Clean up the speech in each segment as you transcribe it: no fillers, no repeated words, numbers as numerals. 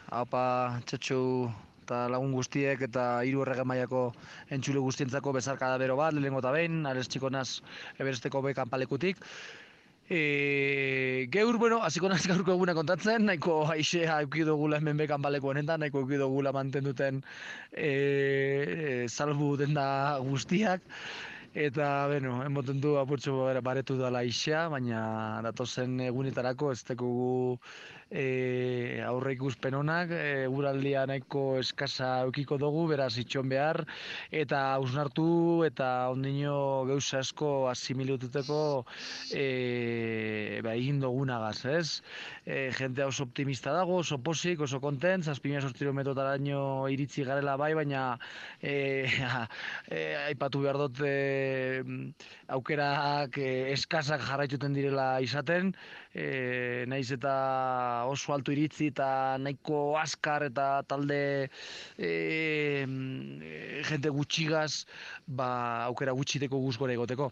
Apa, txetxu eta lagun guztiek eta hiru errege mailako entzule guztientzako bezarkada bero bat, lehenengo eta behin, arez txiko naz eberesteko be kanpalekutik. Geur, bueno, hasiko naz gaurko eguna kontatzen, nahiko haixea euki dugula hemen be kanpaleku honetan, nahiko euki dugula mantenduten salbu denda guztiak. Eta, bueno, emoten du apurtxo baretu dela haixea, baina datozen egunetarako ez tekogu aurre ikuspen onak, eguraldia nahiko eskasa eukiko dugu, beraz itxon behar, eta hausnartu eta ondino gauza asko asimilututeko egin dugunagaz, ez? Jentea oso optimista dago, oso posik, oso kontent, 7.000 iritsi garela bai, baina aipatu behar dut aukerak eskasak jarraituten direla izaten, naiz eta oso altu iritzi eta nahiko askar eta talde jente gutxigaz, aukera gutxiteko guzgore egoteko.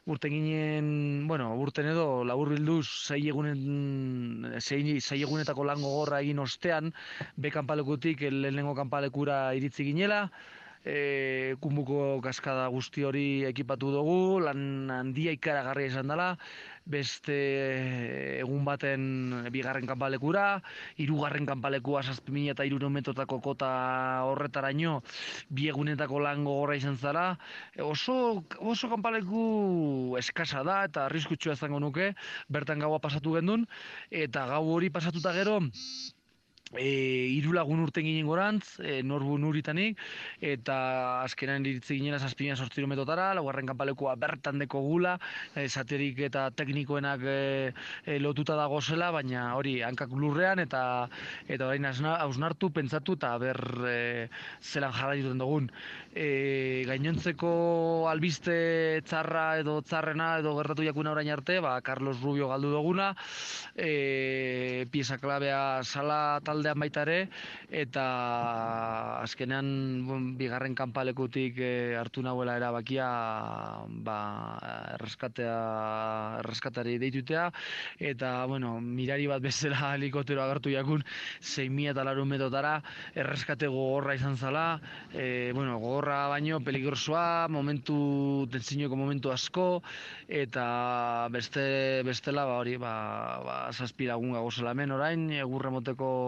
Urten ginen, bueno, urten edo labur bilduz sei egunetako lan gogorra egin ostean, be kanpalekutik lehenengo kanpalekura iritzi ginela, kunbuko kaskada guzti hori ekipatu dugu, lan handia ikaragarria izan dela, beste egun baten bigarren kanpalekura, hirugarren kanpalekua 7.300 metrotako kota horretaraino, bi egunetako lan gogorra izan zara, oso kanpaleku eskasa da eta arriskutsua izango nuke, bertan gaua pasatu gendun, eta gau hori pasatuta gero, hiru lagun urten ginen gorantz, norbu nuritanik, eta azkenan iritzi ginela 7.000 metrotara, laugarren kanpalekua bertan deko gula, saterik eta teknikoenak lotuta dago zela, baina hori hankak lurrean, eta orain hausnartu, pentsatu, eta zelan jarraituten dugun. Gainontzeko albiste txarra edo txarrena edo gertatu jakuna orain arte, Carlos Rubio galdu duguna, pieza klabea sala taldean baita ere, eta azkenean bigarren kanpalekutik hartu nahuela erabakia erreskatari deitutea, eta bueno, mirari bat bezala helikoptero agertu jakun 6.000 metrotara, erreskate gogorra izan zala, gogorra baino peligrosoa, tentzinoko momentu asko, eta bestela hori, 7 lagun gagozela hemen orain, egurre moteko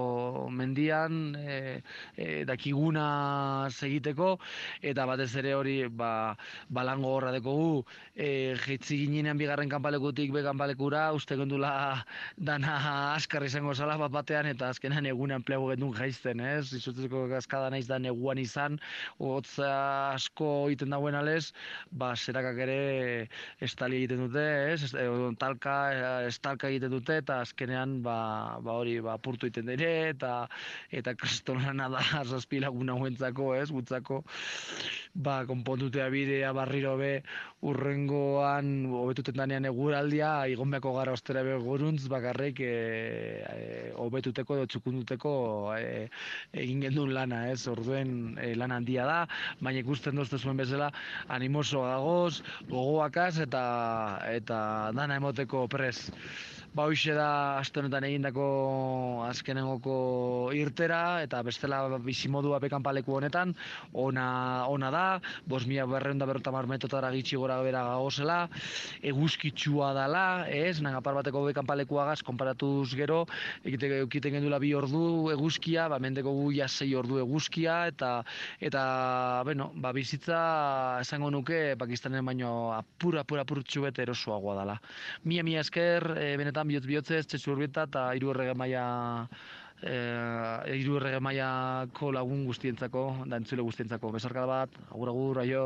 mendian, dakiguna segiteko, eta batez ere hori balango horra dekogu, jeitzi ginean bigarren kanpalekutik be kanpalekura, uste gendula dana askar izango zala batean, eta azkenan egunean plego gendun jaizten, ez? Izutzeko kaskada naiz da neguan izan, hotza asko egiten dagoen alez, zerakak ere estali egiten dute, ez? Estalka egiten dute, eta azkenean hori apurtu egiten dire, eta kristolana da 7 lagun hauentzako, ez, gutzako, konpontutea bidea barriro be urrengoan hobetuten danean eguraldia, igonbeako gara ostera be goruntz, bakarrik hobetuteko edo txukunduteko egin gendun lana, ez, orduen lan handia da, baina ikusten dozte zuen bezala animoso gagoz, gogoakaz, eta dana emoteko prez. Hoxe da aste honetan egindako azkenengoko irtera, eta bestela bizimodua bekanpaleku honetan, ona da, 5.250 metrotara gitxi gora bera gagozela, eguzkitsua dala, ez, nagapar bateko bekanpalekuagaz, konparatuz gero, ekiten gendula 2 ordu eguzkia, mendeko guia 6 ordu eguzkia, eta bizitza esango nuke Pakistanen baino apurtxu bete erosoagoa dala. Mila esker, benetan bihotzez, txetxu urbieta eta hiru errege mailako lagun guztientzako, da entzule guztientzako. Besarkada bat, agur, aio.